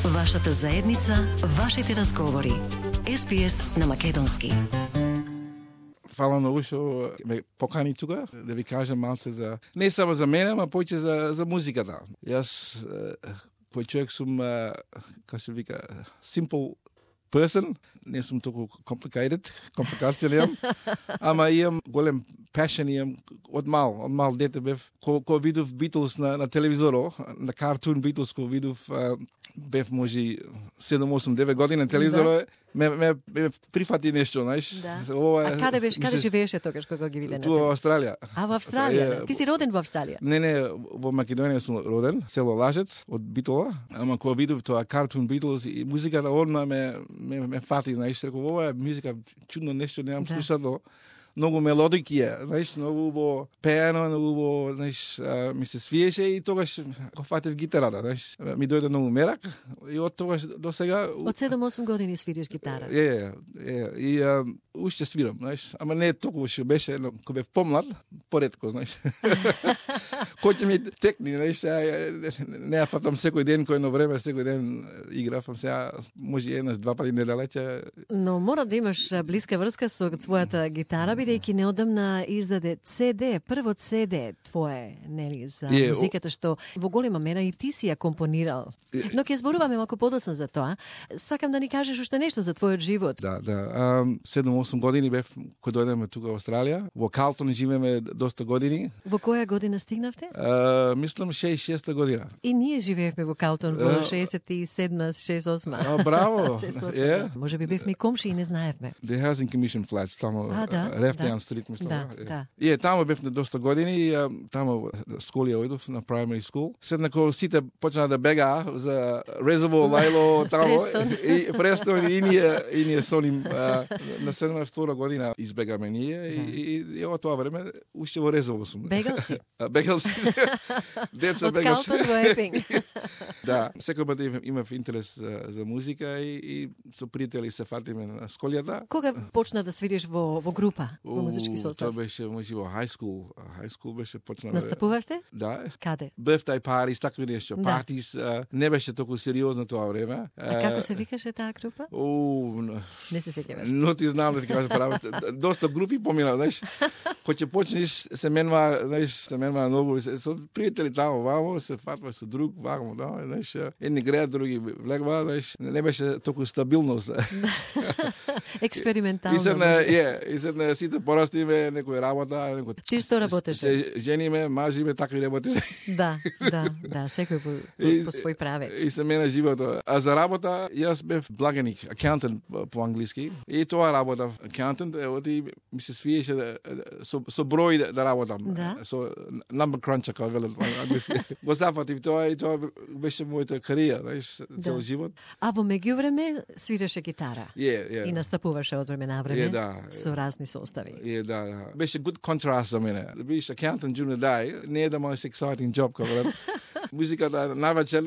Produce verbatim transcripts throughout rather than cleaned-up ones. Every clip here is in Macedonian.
Вашата заедница, вашите разговори. Ес Би Ес на македонски. Фала многу што ме покани тука да ви кажам малце за не само за мене, ама повеќе за за музиката. Јас кој човек сум, како се вика, simple person, не сум толку complicated, компликација немам, ама имам голем passion, имам од мал, од мал дете бев, ко, ко видов Beatles на, на телевизоро, на картун Beatles, ко видов, бев може седум, осум, девет години на телевизоро, да. ме, ме, ме прифати нешто, знаеш. Да. Ова, а каде беше, каде живееше тогаш кога ги виде на Туа во Австралија. А во Австралија? Е, Ти си роден во Австралија? Не, не, во Македонија сум роден, село Лажец, од Битола, ама кога видов тоа картун Beatles и музиката одма ме, ме, ме фати, знаеш, реков, ова е музика, чудно нешто, немам да. слушано. Многу мелодики е, знаеш, многу во пеано, многу во, знаеш, ми се свиеше и тогаш го фатев гитарата, знаеш, ми дојде многу мерак и од тогаш до сега... Од седум-осум години свириш гитара? Е, е, и а, уште свирам, знаеш, ама не толку што беше, но кога бев помлад, поретко, знаеш. Кој ќе ми текни, знаеш, не ја фатам секој ден, кој едно време, секој ден играфам, сега може еднаш, два пати недалече. Но мора да имаш блиска врска со твојата гитара, бидејќи неодамна издаде Це Де, првот Це Де твое, нели, за е, музиката што во голема мера и ти си ја компонирал. Но ќе зборуваме малку подоцна за тоа. Сакам да ни кажеш уште нешто за твојот живот. Да, да. седум-осум години бев кога дојдеме тука во Австралија. Во Калтон живееме доста години. Во која година стигнавте? Uh, мислам шеесет и шеста година. И ние живеевме во Калтон во шеесет и седма, шеесет и осма. А, браво. yeah. Може би бевме комши и не знаевме. The Housing Commission flats, тамо Рефтејан стрит, мислам. Да, да. И е, тамо бевме доста години и тамо школи оидов на primary school. Седнако сите почнаа да бегаа за Резово, Лајло, тамо и Престон и ние и ние со ним на седма и втора година избегаме ние да. и, и, и од тоа време уште во Резово сум. Бегал си. Бегал си. Деца бегал си. Од Калтон во Епинг. Да, секој пат имав интерес за, за музика и, и со пријатели се фатиме на школијата. Кога почна да свириш во во група, во музички состав? Тоа беше може во high school. High school беше почна. Настапувавте? Да. Каде? Birthday parties, такви нешто. Да. Партис, не беше толку сериозно тоа време. А како се викаше таа група? О, не се сеќаваш. Но ти знам да ти кажам право. Доста групи помина, знаеш. Кога ќе почнеш се менува, знаеш, се менува многу со пријатели тамо, вамо, се фатва со друг, вамо, да, знаеш, едни греат, други влегва, знаеш, не беше толку стабилност. Експериментално. И се на, е, и се на сите порастиме, некој работа, некој. Ти што работеше? Се жениме, мажиме, такви работи. Да, да, да, секој по, по, по свој правец. И се мене живото. А за работа, јас бев благеник, accountant по англиски. И тоа работа, accountant, оти ми се свиеше со, со број да работам. Да. Со number cruncher, како велат по англиски. Го зафатив тоа и тоа беше мојата карија, знаеш, цел да. живот. А во меѓувреме свиреше гитара. Yeah, yeah. И настапуваше од време на време yeah, да. со разни состави. Yeah, да, да. Беше good contrast за мене. Да бидеш accountant during the day, не е the most exciting job, како велат. Музиката навечер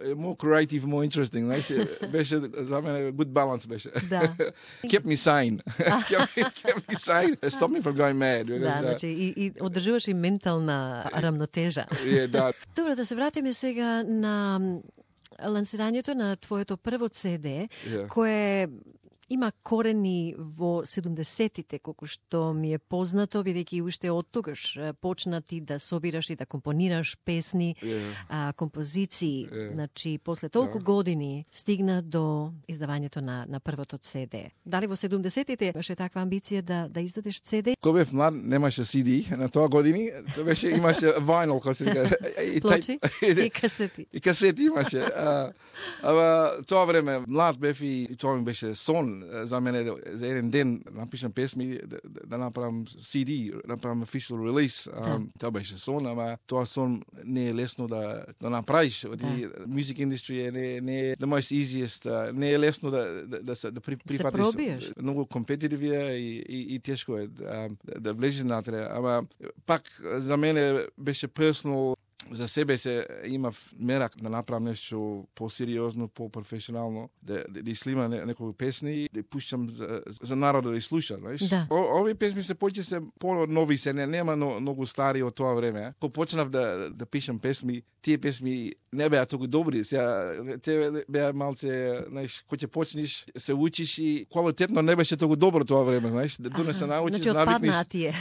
е more creative, more interesting, знаеш, беше за мене good balance беше. Да. Kept me sane. kept, me, kept me sane. Stop me from going mad. Да, uh, значи и, и одржуваш и ментална рамнотежа. Yeah, да. Добро, да се вратиме сега на лансирањето на твоето прво Це Де, yeah. кое има корени во седумдесетите, колку што ми е познато, бидејќи уште од тогаш почна ти да собираш и да компонираш песни, yeah. а, композиции. Yeah. Значи, после толку yeah. години стигна до издавањето на, на првото Це Де. Дали во седумдесетите имаше таква амбиција да, да издадеш Це Де? Кога бев млад, немаше Си Ди на тоа години, тоа беше, имаше vinyl, како се вика. Плочи и касети. И касети имаше. А, ама тоа време, млад бев и, и тоа ми беше сон за мене за еден ден напишам песми да, да направам Си Ди, направам official release. Да. Um, тоа беше сон, ама тоа сон не е лесно да да направиш. Да. Music industry не не е the most easiest, uh, не е лесно да да да се да при, прифатиш. Многу компетитив е и, и, и тешко е да, да влезеш натре, ама пак за мене беше personal за себе се имав мерак да направам нешто по-сериозно, по-професионално, да, да, да слимам некои песни, да пуштам за, за народот да слуша, знаеш. Да. О, овие песни се повеќе се по-нови се, не, нема но, многу стари од тоа време. Кога почнав да, да пишам песми, тие песми не беа толку добри. Сега, те беа малце, знаеш, кога ќе почнеш, се учиш и квалитетно не беше толку добро тоа време, знаеш. Да не се научиш, значи, навикнеш. тие.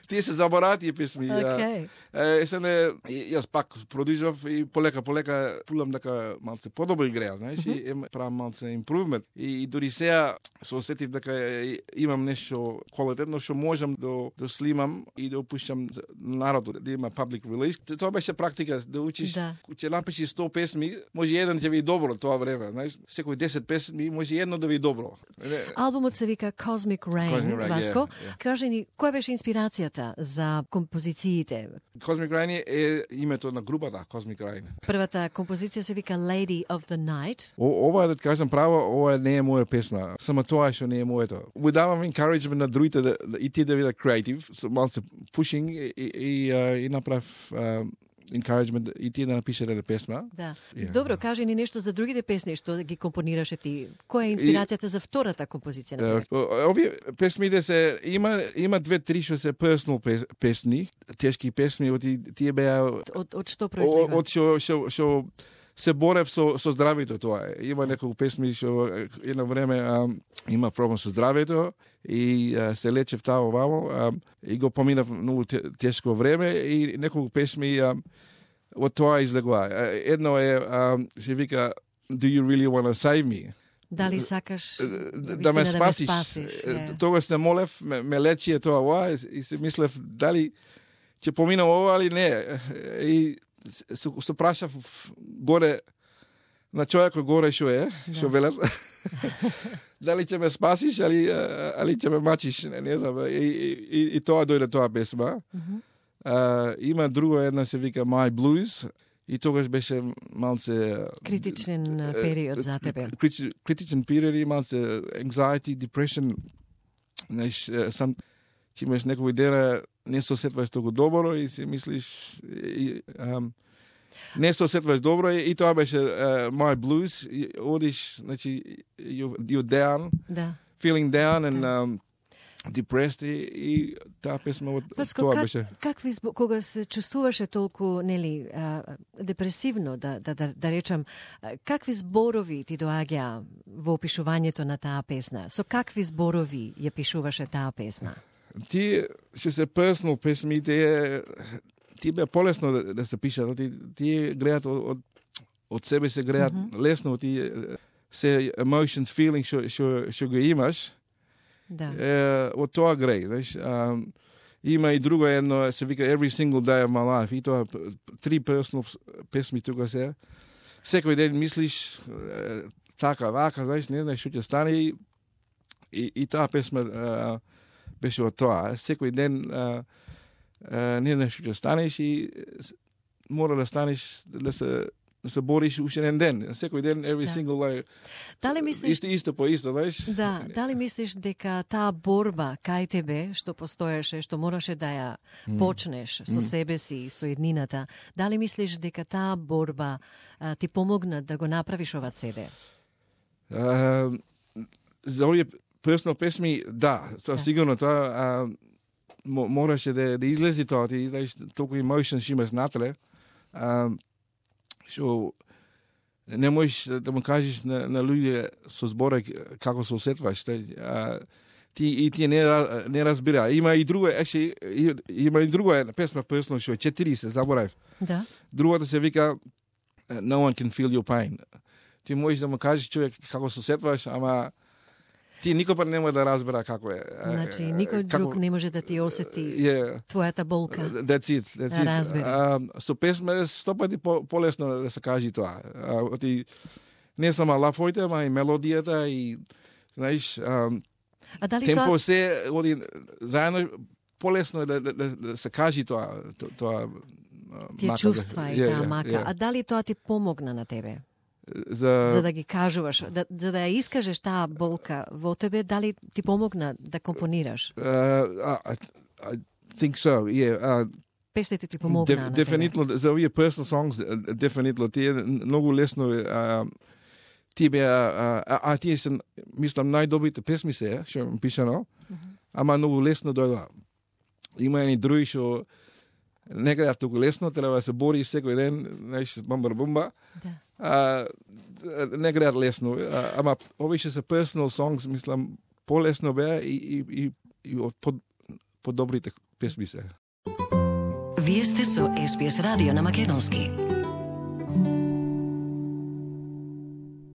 Тие се забораа тие песми. Okay. Е, се не, јас пак продолжав и полека, полека пулам дека малце подобро игреа, знаеш, mm-hmm. и правам малце импрувмент. И, и дори сега се осетив дека имам нешто квалитетно што можам да, да слимам и да опуштам народот, да има public release. Тоа беше практика, да учиш, да. Ќе напишеш сто песми, може еден ќе ви добро тоа време, знаеш, секој десет песми може едно да ви добро. Албумот се вика Cosmic Rain, Cosmic Rain, Васко. yeah, yeah. Кажи ни, која беше инспирацијата за композициите? Cosmic Rain е името на групата Cosmic Rain. Првата композиција се вика Lady of the Night. О, ова да кажам право, ова не е моја песна. Само тоа што не е моето. Ви давам encouragement на другите да, да и ти да бидат креатив, so малце pushing и и, и, и направ uh, encouragement и ти да напишеш една песна. Да. Yeah. Добро, кажи ни нешто за другите песни што ги компонираше ти. Која е инспирацијата и, за втората композиција на uh, овие песмите се има има две три што се personal песни, тешки песни, од тие беа од од што произлега? Од што што што се борев со со здравето тоа е. Има неколку песми што едно време а, има проблем со здравето и а, се лечев тамо вамо а, и го поминав многу тешко време и неколку песми а, од тоа излегува. Едно е а, се вика Do you really want to save me? Дали сакаш да, да ме спасиш? Да ме спасиш yeah. Тогаш се молев, ме, ме лечи тоа ова и се мислев дали ќе поминам ова или не. И се, се прашав горе на човекот горе што е, што да. Велат. Дали ќе ме спасиш али али ќе ме мачиш, не, не знам. И, и, и тоа дојде тоа песма. Mm-hmm. Uh, има друго една се вика My Blues и тогаш беше малце критичен период за тебе. Критичен период и малце anxiety, depression. Знаеш, сам ти имаш некој дена не се осетваш толку добро и си мислиш и, um, не се осетваш добро и, и тоа беше uh, My Blues. И одиш, значи, you, you're down, да. Feeling down and да. um, depressed и, и таа песма од Васко, тоа как, беше. Какви кога се чувствуваше толку нели а, депресивно да да да, да речам, какви зборови ти доаѓа во опишувањето на таа песна? Со какви зборови ја пишуваше таа песна? Ти што се personal песми, тие ти бе полесно да, да се пишат, ти ти гледат од од, од себе се гледат mm-hmm. лесно, ти се emotions, feelings што што што го имаш. Да. Е, од тоа греј, знаеш. Има и друго едно, се вика Every Single Day of My Life, и тоа три personal песми тука се. Секој ден мислиш е, така, вака, знаеш, не знаеш што ќе стане и, и, и таа песма е, беше од тоа. Секој ден е, е, не знаеш што ќе станеш и мора да станеш, да се да се бориш уште еден ден. Секој ден, every да. single day. Дали мислиш Исто, исто по исто, знаеш? Да, дали мислиш дека таа борба кај тебе што постоеше, што мораше да ја mm. почнеш со mm. себе си и со еднината, дали мислиш дека таа борба а, ти помогна да го направиш ова цеде? Uh, за овие personal песми, да, тоа да. Сигурно тоа а, мораше да, да излези тоа, ти знаеш, толку emotions имаш натре. А, што не можеш да му кажеш на, на луѓе со збора како се осетваш. А, ти и ти не не разбира. Има и друго, actually, има и друго една песма personal што е четири се заборав. Да. Другата се вика No one can feel your pain. Ти можеш да му кажеш човек како се осетваш, ама ти никога нема да разбера како е. Значи, никој како... друг не може да ти осети yeah. твојата болка. That's it. That's да it. разбери. Uh, со песма е сто пати по, полесно да се кажи тоа. Uh, ти, не само лафоите, ама и мелодијата и, знаеш, um, а дали темпо тоа... се, оди, заедно полесно е да, да, да, да се кажи тоа. тоа тие мака, чувства да, и yeah, таа yeah, мака. Yeah. А дали тоа ти помогна на тебе? За... за да ги кажуваш, да, за да ја искажеш таа болка во тебе, дали ти помогна да компонираш? Uh, I, I think so, yeah. Uh, песните ти помогнаа на тебе? Дефинитно, за овие personal songs, дефинитно, тие многу лесно а, тие беа, а, а, а тие се, мислам, најдобрите песми се, што ми пишано, mm-hmm. ама многу лесно дојдоа. Има едни други што не гледат толку лесно, треба да се бори секој ден, знаеш, бомба бомба. Да. А, не гледат лесно, а, ама овие што се personal songs, мислам, полесно беа и, и, и, и од под, подобрите песми се. Вие сте со Ес Би Ес радио на македонски.